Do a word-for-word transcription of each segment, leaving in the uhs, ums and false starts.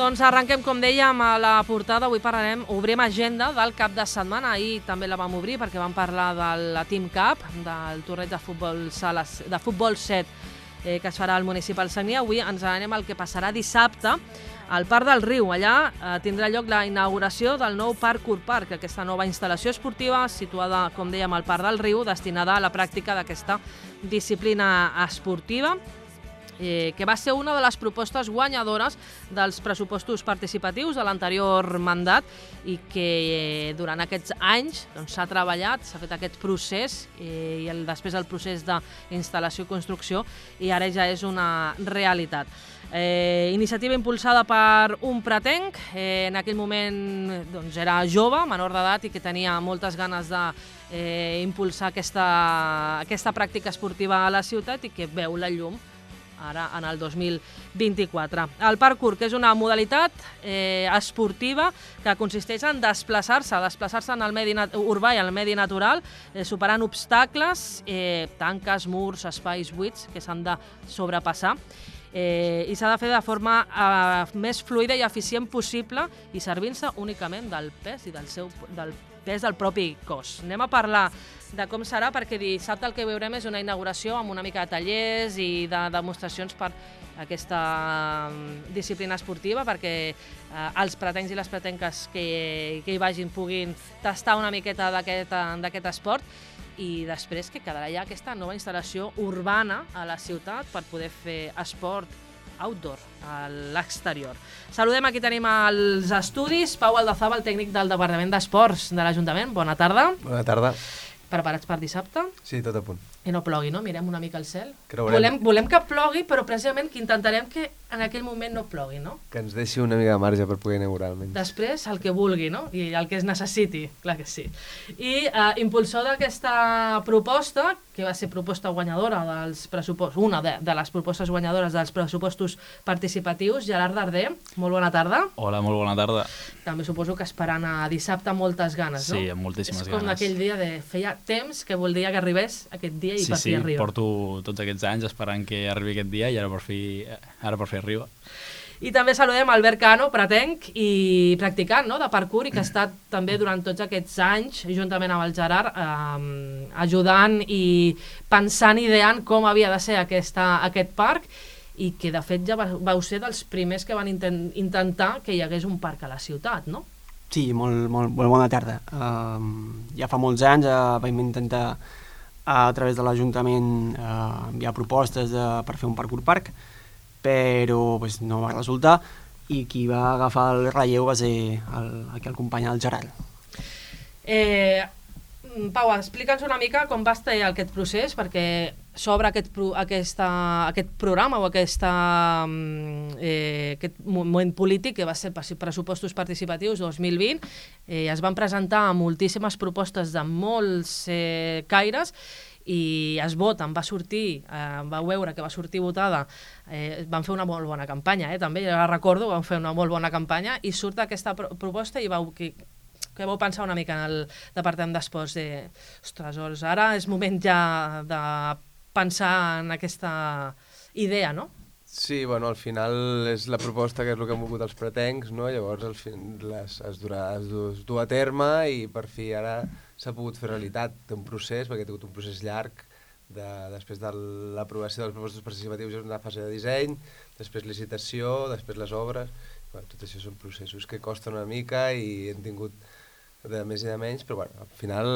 Doncs arrenquem, com dèiem, a la portada. Avui parlarem, obrim agenda del cap de setmana. Ahir també la vam obrir perquè vam parlar de la Team Cup, del torneig de futbol, sala, de futbol set eh, que es farà al Municipal Sagnia. Avui ens anem al que passarà dissabte al Parc del Riu. Allà eh, tindrà lloc la inauguració del nou Parkour Park, aquesta nova instal·lació esportiva situada, com dèiem, al Parc del Riu, destinada a la pràctica d'aquesta disciplina esportiva, Eh, que va ser una de les propostes guanyadores dels pressupostos participatius de l'anterior mandat i que eh, durant aquests anys s'ha doncs, treballat, s'ha fet aquest procés eh, i el, després el procés d'instal·lació i construcció, i ara ja és una realitat. Eh, iniciativa impulsada per un pretenc, eh, en aquell moment doncs, era jove, menor d'edat, i que tenia moltes ganes de eh, impulsar aquesta, aquesta pràctica esportiva a la ciutat i que veu la llum ara en el dos mil vint-i-quatre. El parkour, que és una modalitat eh, esportiva que consisteix en desplaçar-se, desplaçar-se en el medi urbà i en el medi natural, eh, superant obstacles, eh, tanques, murs, espais buits que s'han de sobrepassar. Eh, i s'ha de fer de forma eh, més fluida i eficient possible i servint-se únicament del pes i del, seu, del pes del propi cos. Anem a parlar de com serà, perquè dissabte el que veurem és una inauguració amb una mica de tallers i de demostracions per aquesta disciplina esportiva, perquè eh, els pretencs i les pretenques que, que hi vagin puguin tastar una miqueta d'aquest esport, i després que quedarà ja aquesta nova instal·lació urbana a la ciutat per poder fer esport outdoor, a l'exterior. Saludem, aquí tenim els estudis. Pau Aldazaba, el tècnic del Departament d'Esports de l'Ajuntament. Bona tarda. Bona tarda. Preparats per dissabte? Sí, tot a punt. I no plogui, no? Mirem una mica al cel. Creurem. Volem, volem que plogui, però precisament que intentarem que en aquell moment no plogui, no? Que ens deixi una mica de marge per poder inaugurar almenys. Després, el que vulgui, no? I el que es necessiti, clar que sí. I eh, impulsor d'aquesta proposta, que va ser proposta guanyadora dels pressupostos, una de, de les propostes guanyadores dels pressupostos participatius, Gerard Darder, molt bona tarda. Hola, molt bona tarda. També suposo que esperant a dissabte moltes ganes, no? Sí, amb moltíssimes ganes. És com aquell dia de... Feia temps que voldria que arribés aquest dia i sí, per fi sí, arriba. Sí, sí, porto tots aquests anys esperant que arribi aquest dia i ara per fi, ara per fi arriba. I també saludem Albert Cano, pretenc i practicant, no?, de parkour, i que ha estat també durant tots aquests anys, juntament amb el Gerard, eh, ajudant i pensant, ideant com havia de ser aquesta, aquest parc, i que de fet ja vau ser dels primers que van intent, intentar que hi hagués un parc a la ciutat, no? Sí, molt, molt, molt bona tarda. Uh, ja fa molts anys uh, vam intentar a través de l'Ajuntament uh, enviar propostes de, per fer un parkour parc, però pues, no va resultar, i qui va agafar el relleu va ser el, el company, el Gerard. Eh, Pau, explica'ns una mica com va estar aquest procés, perquè s'obre aquest, pro, aquesta, aquest programa o aquesta, eh, aquest moment polític que va ser pressupostos participatius dos mil vint. Eh, es van presentar moltíssimes propostes de molts eh, caires, i es voten, va sortir, eh, vau veure que va sortir votada, eh, van fer una molt bona campanya, eh, també, ja la recordo, van fer una molt bona campanya, i surt aquesta pro proposta i vau, que, que vau pensar una mica en el Departament d'Esports de, ostres, doncs ara és moment ja de pensar en aquesta idea, no? Sí, bueno, al final és la proposta que és el que han volgut els pretencs, no? Llavors al fin, les, es, durà, es, du, es du a terme i per fi ara s'ha pogut fer realitat. Té un procés, perquè ha tingut un procés llarg, de, després de l'aprovació dels propostes participatius és una fase de disseny, després licitació, després les obres. Bueno, tot això són processos que costen una mica i hem tingut de més i de menys, però bueno, al final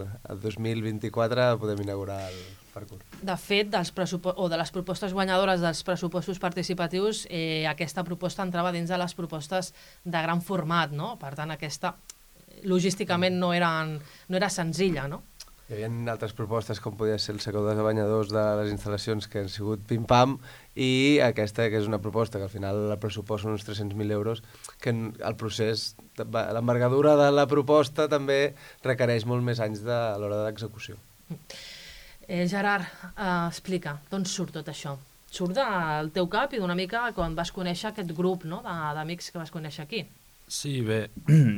el dos mil vint-i-quatre podem inaugurar el parkour. De fet, dels o de les propostes guanyadores dels pressupostos participatius, eh, aquesta proposta entrava dins de les propostes de gran format, no? Per tant, aquesta logísticament no, eren, no era senzilla, no? Hi havia altres propostes com podia ser el secador de banyadors de les instal·lacions que han sigut pim-pam, i aquesta que és una proposta que al final el pressupost són uns tres-cents mil euros, que el procés, l'envergadura de la proposta també requereix molt més anys de, a l'hora de l'execució. Eh, Gerard, eh, explica, d'on surt tot això? Surt del teu cap i d'una mica quan vas conèixer aquest grup, no?, d'amics que vas conèixer aquí. Sí, bé,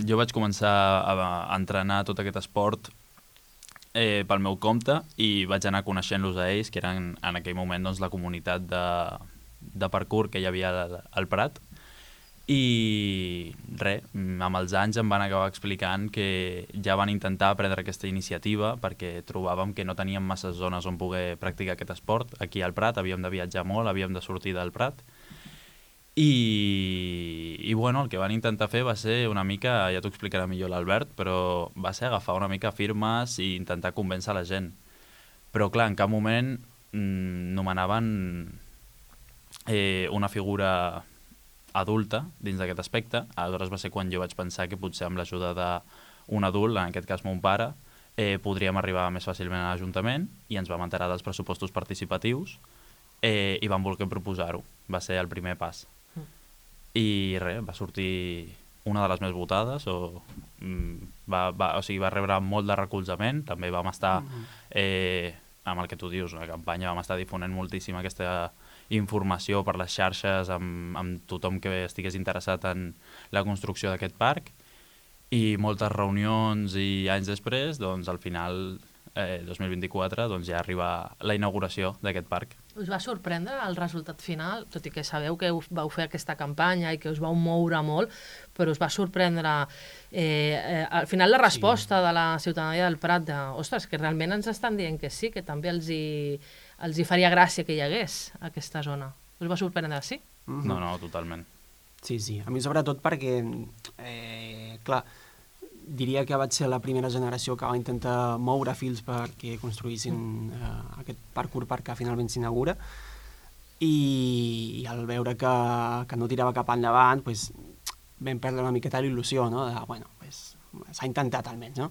jo vaig començar a entrenar tot aquest esport eh, pel meu compte i vaig anar coneixent-los a ells, que eren en aquell moment doncs, la comunitat de, de parkour que hi havia al, al Prat, I res, amb els anys em van acabar explicant que ja van intentar prendre aquesta iniciativa perquè trobàvem que no teníem massa zones on poder practicar aquest esport. Aquí al Prat havíem de viatjar molt, havíem de sortir del Prat. I, i bueno, el que van intentar fer va ser una mica, ja t'ho explicarà millor l'Albert, però va ser agafar una mica firmes i intentar convèncer la gent. Però clar, en cap moment mmm, nomenaven eh, una figura adulta dins d'aquest aspecte. Aleshores va ser quan jo vaig pensar que potser amb l'ajuda d'un adult, en aquest cas mon pare, eh, podríem arribar més fàcilment a l'Ajuntament i ens vam enterar dels pressupostos participatius eh, i vam voler proposar-ho. Va ser el primer pas. Mm. I res, va sortir una de les més votades, o, mm, va, va, o sigui, va rebre molt de recolzament. També vam estar, eh, amb el que tu dius, una campanya, vam estar difonent moltíssim aquesta informació per les xarxes amb, amb tothom que estigués interessat en la construcció d'aquest parc, i moltes reunions, i anys després, doncs al final, eh, dos mil vint-i-quatre, doncs ja arriba la inauguració d'aquest parc. Us va sorprendre el resultat final, tot i que sabeu que vau fer aquesta campanya i que us vau moure molt, però us va sorprendre eh, eh, al final la resposta sí. de la ciutadania del Prat de, ostres, que realment ens estan dient que sí, que també els hi, els hi faria gràcia que hi hagués aquesta zona. Us va sorprendre, sí? Mm-hmm. No, no, totalment. Sí, sí. A mi sobretot perquè, eh, clar, diria que vaig ser la primera generació que va intentar moure fils perquè construïssin eh, aquest parkour park que finalment s'inaugura, i, i al veure que, que no tirava cap endavant, pues, vam perdre una miqueta l'il·lusió, no? De, bueno, pues, s'ha intentat almenys, no?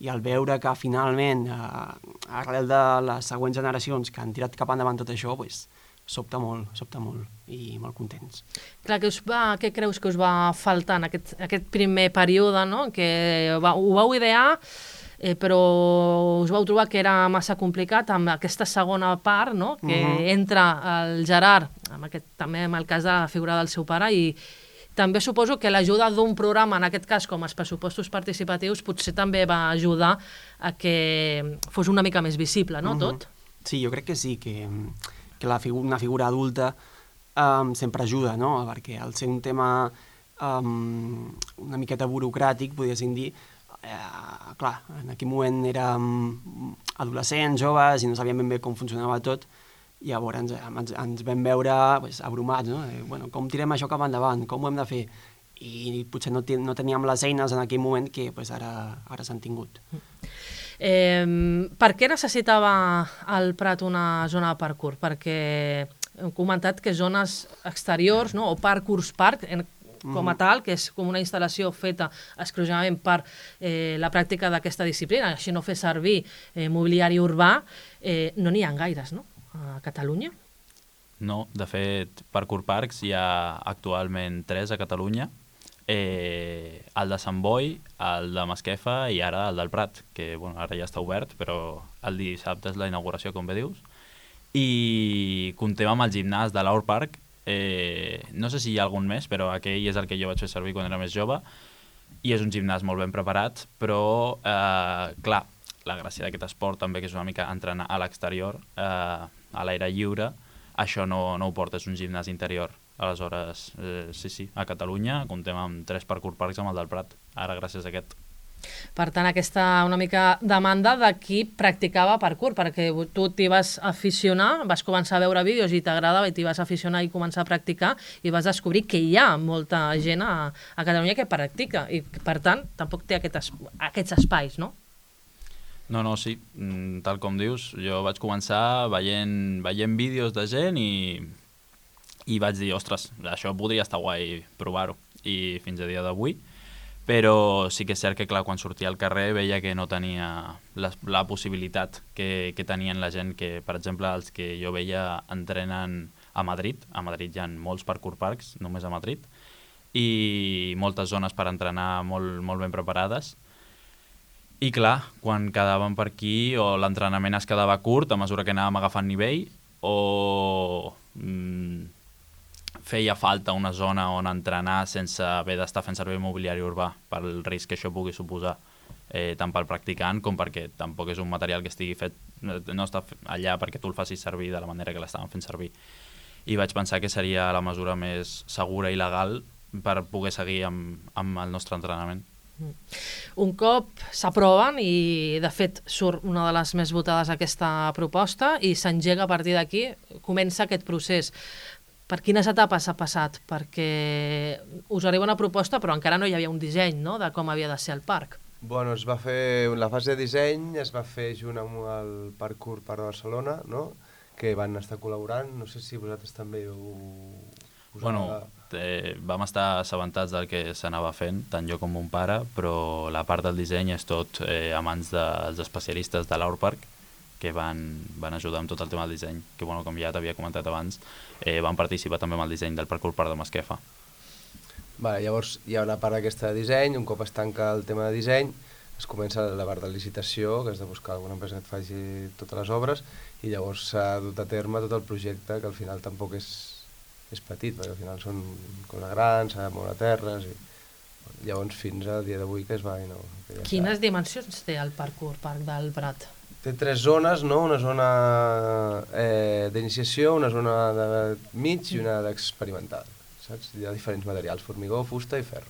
I al veure que finalment, eh, arrel de les següents generacions que han tirat cap endavant tot això, pues, sobta molt, sobta molt, i molt contents. Clar, què, us va, què creus que us va faltar en aquest, aquest primer període, no? Que va, ho vau idear, eh, però us vau trobar que era massa complicat amb aquesta segona part, no? Que uh-huh. entra el Gerard, amb aquest, també amb el cas de la figura del seu pare, i també suposo que l'ajuda d'un programa, en aquest cas com els pressupostos participatius, potser també va ajudar a que fos una mica més visible, no, uh-huh. tot? Sí, jo crec que sí, que, que la figu una figura adulta um, sempre ajuda, no? Perquè al ser un tema um, una miqueta burocràtic, podríem dir, eh, clar, en aquell moment érem adolescents, joves, i no sabíem ben bé com funcionava tot. Llavors ens, ens, ens vam veure pues, abrumats, no? Eh, bueno, com tirem això cap endavant, com ho hem de fer? I potser no, ten, no teníem les eines en aquell moment que pues, ara, ara s'han tingut. Eh, per què necessitava el Prat una zona de parkour? Perquè hem comentat que zones exteriors, no? O parkours park, en, com a tal, que és com una instal·lació feta exclusivament per eh, la pràctica d'aquesta disciplina, així no fer servir eh, mobiliari urbà, eh, no n'hi ha gaires, no? A Catalunya? No, de fet, parkour parks hi ha actualment tres a Catalunya, eh, el de Sant Boi, el de Masquefa i ara el del Prat, que bueno, ara ja està obert, però el dissabte és la inauguració, com bé dius. I comptem amb el gimnàs de l'Aur Park, eh, no sé si hi ha algun més, però aquell és el que jo vaig fer servir quan era més jove, i és un gimnàs molt ben preparat, però, eh, clar, la gràcia d'aquest esport també, que és una mica entrenar a l'exterior, eh, a l'aire lliure, això no, no ho porta, és un gimnàs interior. Aleshores, eh, sí, sí, a Catalunya comptem amb tres parkour parks amb el del Prat, ara gràcies a aquest. Per tant, aquesta una mica demanda de qui practicava parkour, perquè tu t'hi vas aficionar, vas començar a veure vídeos i t'agradava i t'hi vas aficionar i començar a practicar i vas descobrir que hi ha molta gent a, a Catalunya que practica i, per tant, tampoc té aquest es, aquests espais, no? No, no, sí, tal com dius, jo vaig començar veient, veient vídeos de gent i, i vaig dir, ostres, això podria estar guai provar-ho, i fins a dia d'avui, però sí que és cert que, clar, quan sortia al carrer veia que no tenia la, la possibilitat que, que tenien la gent que, per exemple, els que jo veia entrenen a Madrid, a Madrid hi ha molts parkour parks, només a Madrid, i moltes zones per entrenar molt, molt ben preparades. I clar, quan quedàvem per aquí, o l'entrenament es quedava curt a mesura que anàvem agafant nivell, o mm, feia falta una zona on entrenar sense haver d'estar fent servir mobiliari urbà, pel risc que això pugui suposar, eh, tant pel practicant com perquè tampoc és un material que estigui fet, no està allà perquè tu el facis servir de la manera que l'estàvem fent servir. I vaig pensar que seria la mesura més segura i legal per poder seguir amb, amb el nostre entrenament. Un cop s'aproven i de fet surt una de les més votades aquesta proposta i s'engega a partir d'aquí, comença aquest procés. Per quines etapes ha passat? Perquè us arriba una proposta però encara no hi havia un disseny, no?, de com havia de ser el parc. Bueno, es va fer, la fase de disseny es va fer junt amb el Parkour Parc de Barcelona, no?, que van estar col·laborant, no sé si vosaltres també ho... Bueno, eh, vam estar assabentats del que s'anava fent, tant jo com mon pare, però la part del disseny és tot eh, a mans dels especialistes de l'Aurpark, que van, van ajudar amb tot el tema del disseny, que bueno, com ja t'havia comentat abans, eh, van participar també amb el disseny del Parkour Parc de Masquefa. Vale, llavors hi ha una part d'aquesta de disseny, un cop es tanca el tema de disseny, es comença la part de licitació, que has de buscar alguna empresa que et faci totes les obres, i llavors s'ha dut a terme tot el projecte, que al final tampoc és, és petit, perquè al final són coses grans, s'ha de moure terres, i bueno, llavors fins al dia d'avui que es va... No, que ja Quines està. Dimensions té el Parkour Parc del Prat? Té tres zones, no? Una zona eh, d'iniciació, una zona de mig i una d'experimental. Saps? Hi ha diferents materials, formigó, fusta i ferro.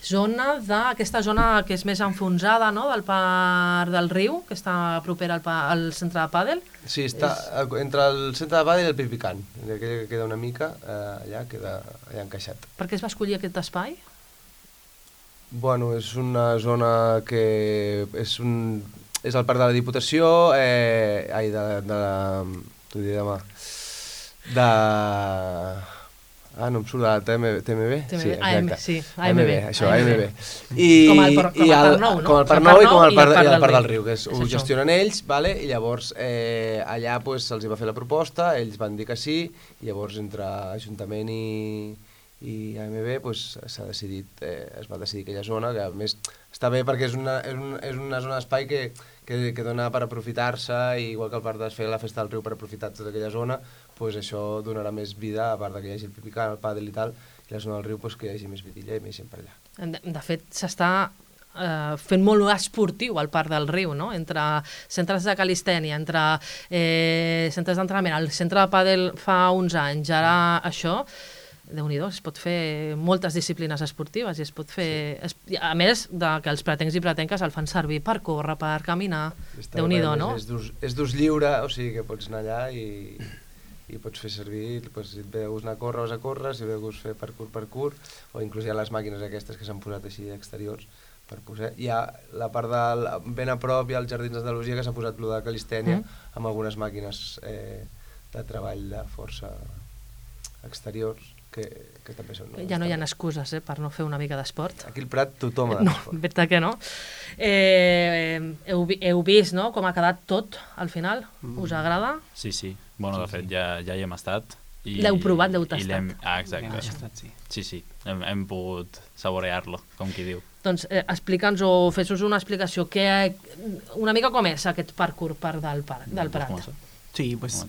Zona de, aquesta zona que és més enfonsada, no?, del parc del riu, que està propera al, pa, al centre de pàdel. Sí, està és... entre el centre de pàdel i el Pipicant. Aquell que queda una mica, eh, allà queda allà encaixat. Per què es va escollir aquest espai? Bueno, és una zona que és un... és el parc de la Diputació, eh, ai, de, de la... t'ho diré demà, de... Ah, no em surt de la T M B? Sí, exacte. Sí, A M B. Això, A M B. I, com el, com el Parc Nou, no? Com el Parc Nou i com el Parc, i el Parc del Riu, que és, és ho això. gestionen ells, vale? I llavors eh, allà pues, se'ls va fer la proposta, ells van dir que sí, i llavors entre Ajuntament i, i A M B pues, s'ha decidit, eh, es va decidir aquella zona, que a més està bé perquè és una, és una, és una zona d'espai que, que, que dona per aprofitar-se, i igual que el parc de fer la festa del riu per aprofitar tota aquella zona, pues això donarà més vida, a part que hi hagi el pipicant, el pàdel i tal, i la zona del riu pues, que hi hagi més vidilla i més gent per allà. De, de fet, s'està eh, fent molt esportiu al Parc del Riu, no?, entre centres de calistènia, entre eh, centres d'entrenament, el centre de pàdel fa uns anys, ara això, Déu-n'hi-do, es pot fer moltes disciplines esportives i es pot fer... Sí. Es, a més de que els pretencs i pretenques el fan servir per córrer, per caminar, Déu-n'hi-do, no? És d'ús lliure, o sigui que pots anar allà i... i pots fer servir, doncs, si et ve de gust anar a córrer, vas a córrer, si et ve de gust fer parkour, parkour, o inclús hi ha les màquines aquestes que s'han posat així exteriors per posar. Hi ha la part del... ben a prop hi ha els Jardins d'Andalusia, que s'ha posat plo de calistènia, mm. amb algunes màquines eh, de treball de força exteriors, que, que també són... No? Ja no hi ha excuses eh, per no fer una mica d'esport. Aquí al Prat tothom ha no, d'esport. Veritat que no. Eh, heu, heu vist, no?, com ha quedat tot al final? Mm. Us agrada? Sí, sí. Bueno, de fet, ja, ja hi hem estat. L'heu provat, l'heu tastat. Ah, exacte. Tastat, sí. Sí, sí, hem, hem pogut saborear-lo, com qui diu. Doncs eh, explica'ns o fes-nos una explicació. Que, una mica com és aquest parkour parc del, parc, del Prat? Sí, doncs,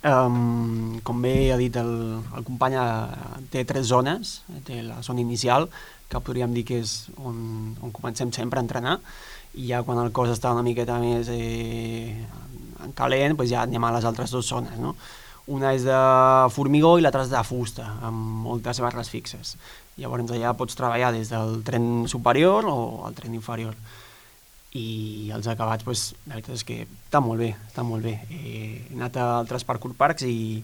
um, com bé ha dit el, el company, té tres zones. Té la zona inicial, que podríem dir que és on, on comencem sempre a entrenar, i ja quan el cos està una miqueta més eh, en calent, doncs ja anem a les altres dues zones, no? Una és de formigó i l'altra és de fusta, amb moltes barres fixes. Llavors allà pots treballar des del tren superior o el tren inferior. I els acabats, doncs, la veritat és que està molt bé, està molt bé. He anat a altres parkour parcs i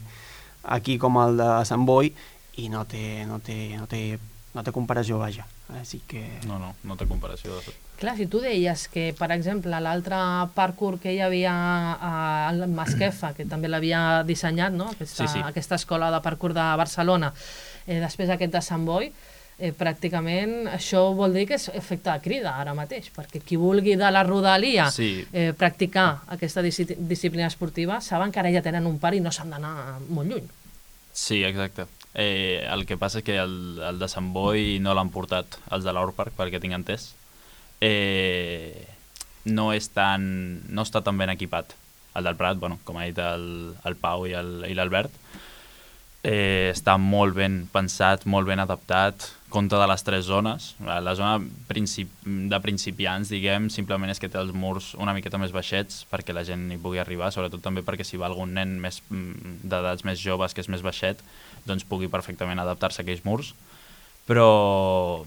aquí com el de Sant Boi i no té, no té, no té, no té comparació, vaja. Així que... No, no, no té comparació de tot. Clar, si tu deies que, per exemple, l'altre parkour que hi havia a Masquefa, que també l'havia dissenyat, no?, aquesta, sí, sí. aquesta escola de parkour de Barcelona, eh, després aquest de Sant Boi, eh, pràcticament això vol dir que és efecte de crida ara mateix, perquè qui vulgui de la rodalia sí. eh, practicar aquesta disciplina esportiva saben que ara ja tenen un parc i no s'han d'anar molt lluny. Sí, exacte. Eh, el que passa és que el, el de Sant Boi no l'han portat els de l'Aurpark, perquè tinc entès. Eh, no és tan, no està tan ben equipat. El del Prat, bueno, com ha dit el, el Pau i l'Albert, eh, està molt ben pensat, molt ben adaptat, compta de les tres zones. La zona princip de principiants, diguem, simplement és que té els murs una miqueta més baixets perquè la gent hi pugui arribar, sobretot també perquè si va algun nen d'edats més joves que és més baixet, doncs pugui perfectament adaptar-se a aquells murs. però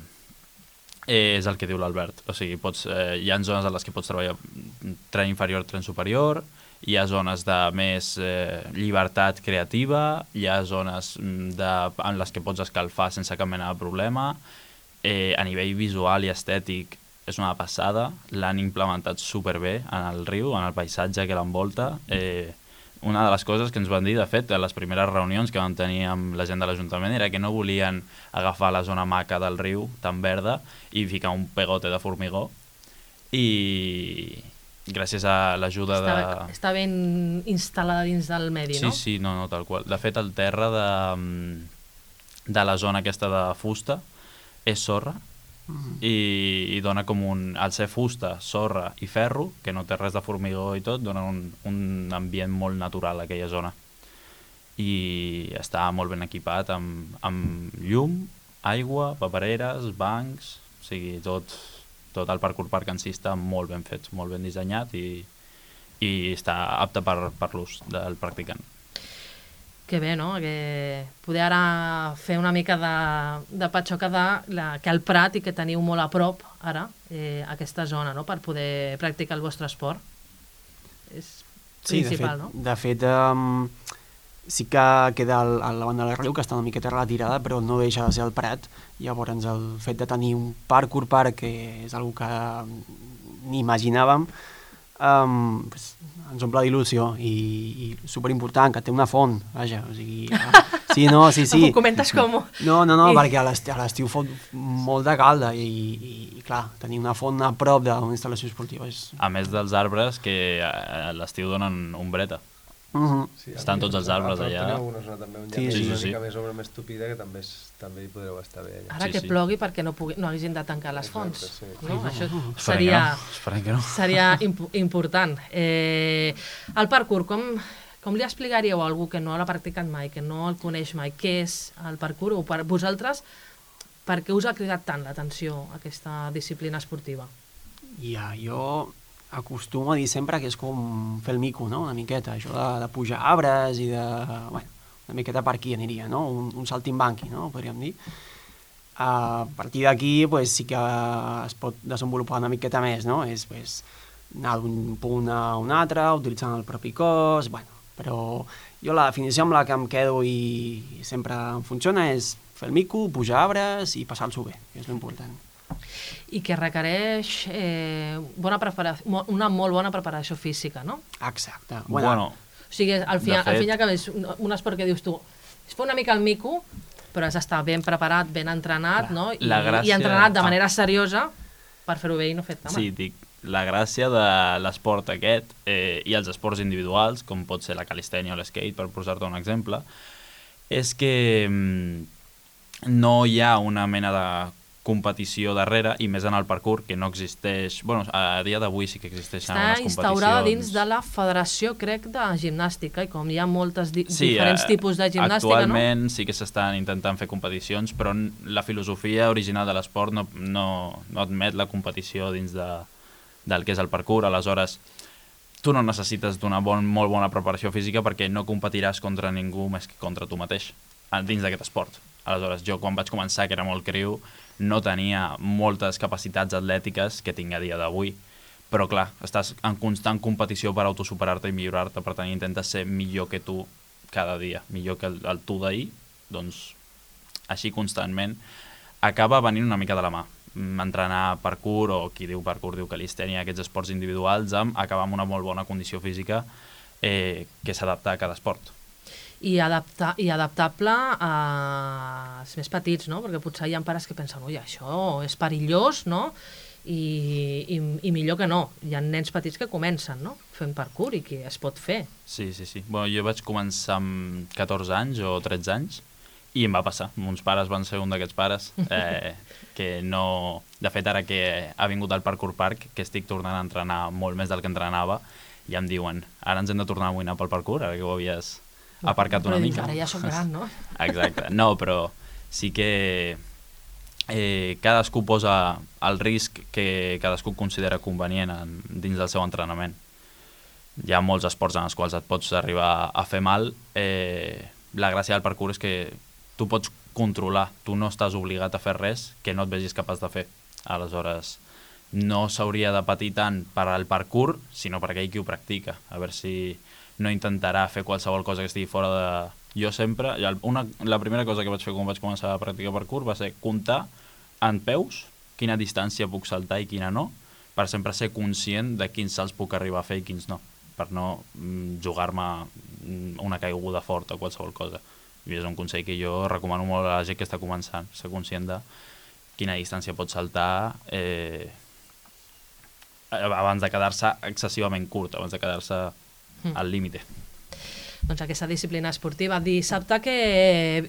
eh, és el que diu l'Albert. O sigui, pots, eh, hi ha zones en les que pots treballar tren inferior, tren superior, hi ha zones de més eh, llibertat creativa, hi ha zones de, en les que pots escalfar sense cap mena de problema. Eh, a nivell visual i estètic és una passada, l'han implementat superbé en el riu, en el paisatge que l'envolta. Eh, una de les coses que ens van dir, de fet, a les primeres reunions que vam tenir amb la gent de l'Ajuntament era que no volien agafar la zona maca del riu, tan verda, i ficar un pegote de formigó. I gràcies a l'ajuda de... Està, està ben instal·lada dins del medi, sí, no? Sí, sí, no, no, tal qual. De fet, el terra de, de la zona aquesta de fusta és sorra, mm-hmm. i, i dona com un... Al ser fusta, sorra i ferro, que no té res de formigó i tot, dona un, un ambient molt natural a aquella zona. I està molt ben equipat amb, amb llum, aigua, papereres, bancs, o sigui, tot, tot el parkour park en si està molt ben fet, molt ben dissenyat i, i està apte per, per l'ús del practicant. Que bé, no? Que poder ara fer una mica de, de patxoca de la, que el Prat i que teniu molt a prop ara, eh, aquesta zona, no? Per poder practicar el vostre esport. És sí, principal, de fet, no? De fet, um, sí que queda el, a la banda del riu, que està una miqueta retirada, però no deixa de ser el Prat. Llavors, el fet de tenir un parkour park, que és una que ni imaginàvem, Um, pues, ens omple d'il·lusió i, i superimportant, que té una font, vaja, o sigui... Uh, sí, no, sí, sí. Ho comentes com... No, no, no, I... perquè a l'estiu fot molt de calda i, i, i, clar, tenir una font a prop d'una instal·lació esportiva és... A més dels arbres, que a l'estiu donen ombreta. Uh-huh. Sí, estan tots els arbres allà. Teniu una zona també on hi ha Sí, més, sí, una sí. mica més obra més tupida, que també, és, també hi podreu estar bé allà. Ara Sí, que sí. plogui perquè no, pugui, no hagin de tancar les fonts. Exacte, sí. No? Això Esperem seria, que no. Esperem que no. seria imp important. Eh, el parkour, com, com li explicaríeu a algú que no l'ha practicat mai, que no el coneix mai, què és el parkour? O per vosaltres, per què us ha cridat tant l'atenció aquesta disciplina esportiva? Ja, jo acostumo a dir sempre que és com fer el mico, no?, una miqueta, això de, de pujar arbres i de... Bueno, una miqueta per aquí aniria, no?, un, un saltimbanqui, no?, podríem dir. A partir d'aquí, pues, sí que es pot desenvolupar una miqueta més, no?, és pues, anar d'un punt a un altre, utilitzant el propi cos, bueno, però jo la definició amb la que em quedo i sempre em funciona és fer el mico, pujar arbres i passar-s'ho bé, que és l'important. I que requereix eh, bona preparació, una molt bona preparació física, no? Exacte. Bueno, bueno o sigui, al final, fet... al fin i al cap és un, un esport que dius tu, es fa una mica el mico, però has d'estar ben preparat, ben entrenat, Clar, no? I, gràcia... i entrenat de ah. manera seriosa per fer-ho bé i no fet mal. Sí, dic, la gràcia de l'esport aquest eh, i els esports individuals, com pot ser la calistènia o l'skate, per posar-te un exemple, és que mm, no hi ha una mena de competició darrere, i més en el parkour, que no existeix... Bueno, a dia d'avui sí que existeixen Està algunes competicions... Està instaurada dins de la Federació, crec, de Gimnàstica, i com hi ha moltes di sí, diferents tipus de gimnàstica, actualment no? sí que s'estan intentant fer competicions, però la filosofia original de l'esport no, no, no admet la competició dins de, del que és el parkour. Aleshores, tu no necessites d'una bon, molt bona preparació física perquè no competiràs contra ningú més que contra tu mateix dins d'aquest esport. Aleshores, jo quan vaig començar, que era molt criu, no tenia moltes capacitats atlètiques que tinc a dia d'avui, però clar, estàs en constant competició per autosuperar-te i millorar-te, per tant intentes ser millor que tu cada dia, millor que el, el tu d'ahir, doncs així constantment acaba venint una mica de la mà. Entrenar parkour, o qui diu parkour diu calistènia, aquests esports individuals, amb acabar amb una molt bona condició física eh, que s'adapta a cada esport. I, adapta, i adaptable als més petits, no? Perquè potser hi ha pares que pensen, ui, això és perillós, no? I, i, i millor que no. Hi ha nens petits que comencen, no?, fent parkour i que es pot fer. Sí, sí, sí. Bueno, jo vaig començar amb catorze anys o tretze anys i em va passar. Mons pares van ser un d'aquests pares eh, que no... De fet, ara que ha vingut al Parkour Park, que estic tornant a entrenar molt més del que entrenava, ja em diuen, ara ens hem de tornar a amoïnar pel parkour, ara que ho havies aparcat una però mica. Ara ja som gran, no? Exacte. No, però sí que eh, cadascú posa el risc que cadascú considera convenient en, dins del seu entrenament. Hi ha molts esports en els quals et pots arribar a fer mal. Eh, la gràcia del parkour és que tu pots controlar. Tu no estàs obligat a fer res que no et vegis capaç de fer. Aleshores, no s'hauria de patir tant per al parkour, sinó per aquell qui ho practica. A veure si no intentarà fer qualsevol cosa que estigui fora de... Jo sempre... Una, la primera cosa que vaig fer quan vaig començar a practicar parkour va ser comptar en peus quina distància puc saltar i quina no, per sempre ser conscient de quins salts puc arribar a fer i quins no, per no mm, jugar-me una caiguda forta o qualsevol cosa. I és un consell que jo recomano molt a la gent que està començant, ser conscient de quina distància pot saltar eh, abans de quedar-se excessivament curt, abans de quedar-se mm. al límite. Doncs aquesta disciplina esportiva. Dissabte què,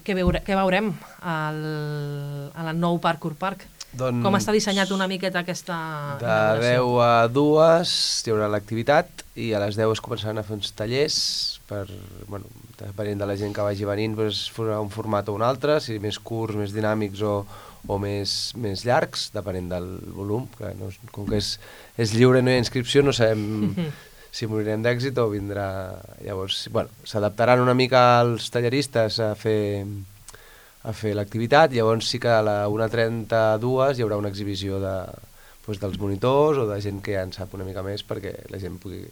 què, veure, què veurem al, al nou Parkour Park? Doncs, com està dissenyat una miqueta aquesta de deu a dues hi haurà l'activitat i a les deu es començaran a fer uns tallers per, bueno, depenent de la gent que vagi venint, doncs farà un format o un altre, si més curts, més dinàmics o, o més, més llargs, depenent del volum, que no, com que és, és lliure, no hi ha inscripció, no sabem si morirem d'èxit o vindrà... Llavors, bueno, s'adaptaran una mica els talleristes a fer, a fer l'activitat, llavors sí que a la una trenta a dues hi haurà una exhibició de, doncs, dels monitors o de gent que ja en sap una mica més perquè la gent pugui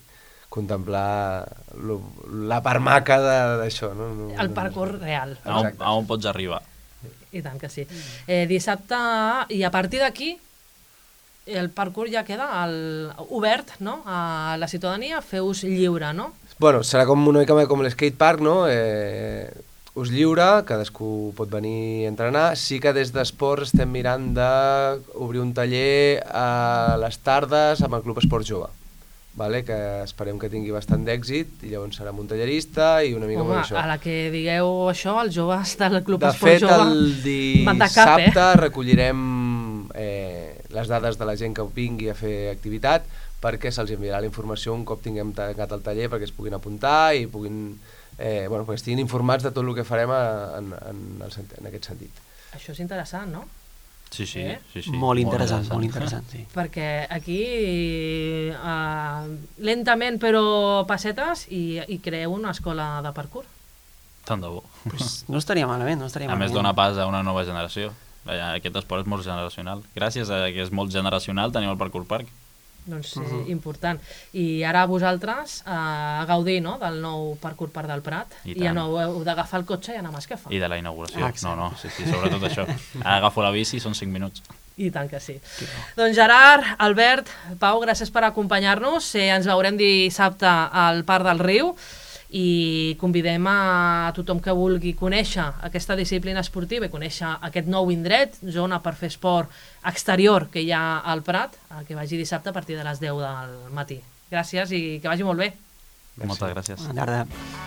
contemplar lo, la part maca d'això. No? No, el parkour no, real. A on, a on pots arribar. I tant que sí. Eh, dissabte, i a partir d'aquí, el parkour ja queda el, obert, no? A la ciutadania, fer-us lliure, no? Bueno, serà com una mica com l'skatepark, no? Eh, us lliure, cadascú pot venir a entrenar. Sí que des d'esports estem mirant d'obrir un taller a les tardes amb el Club Esport Jove, vale? Que esperem que tingui bastant d'èxit i llavors serà un tallerista i una mica Home, amb això. A la que digueu això, els joves del Club de Esport fet, Jove... De fet, el dissabte eh? recollirem eh, les dades de la gent que vingui a fer activitat perquè se'ls enviarà la informació un cop tinguem tancat el taller perquè es puguin apuntar i puguin, eh, bueno, perquè estiguin informats de tot el que farem en, en, el, en aquest sentit. Això és interessant, no? Sí, sí, eh? sí, sí. Molt interessant, molt interessant, sí. Perquè aquí, uh, lentament però passetes, i, i creeu una escola de parkour. Tant de bo. Pues no estaria malament, no estaria a malament. més, dona pas a una nova generació. Aquest esport és molt generacional. Gràcies a que és molt generacional tenim el Parkour Park. Doncs uh-huh. eh, important. I ara vosaltres eh, a gaudir, no?, del nou Parkour Park del Prat i, i ja no heu d'agafar el cotxe i anar a Masquefa. I de la inauguració. Ah, no, no, sí, sí, sobretot això. Ara agafo la bici i són cinc minuts. I tant que sí. Doncs Gerard, Albert, Pau, gràcies per acompanyar-nos. Eh, ens veurem dissabte al Parc del Riu i convidem a tothom que vulgui conèixer aquesta disciplina esportiva i conèixer aquest nou indret, zona per fer esport exterior que hi ha al Prat, que vagi dissabte a partir de les deu del matí. Gràcies i que vagi molt bé. Merci. Moltes gràcies. Bona tarda.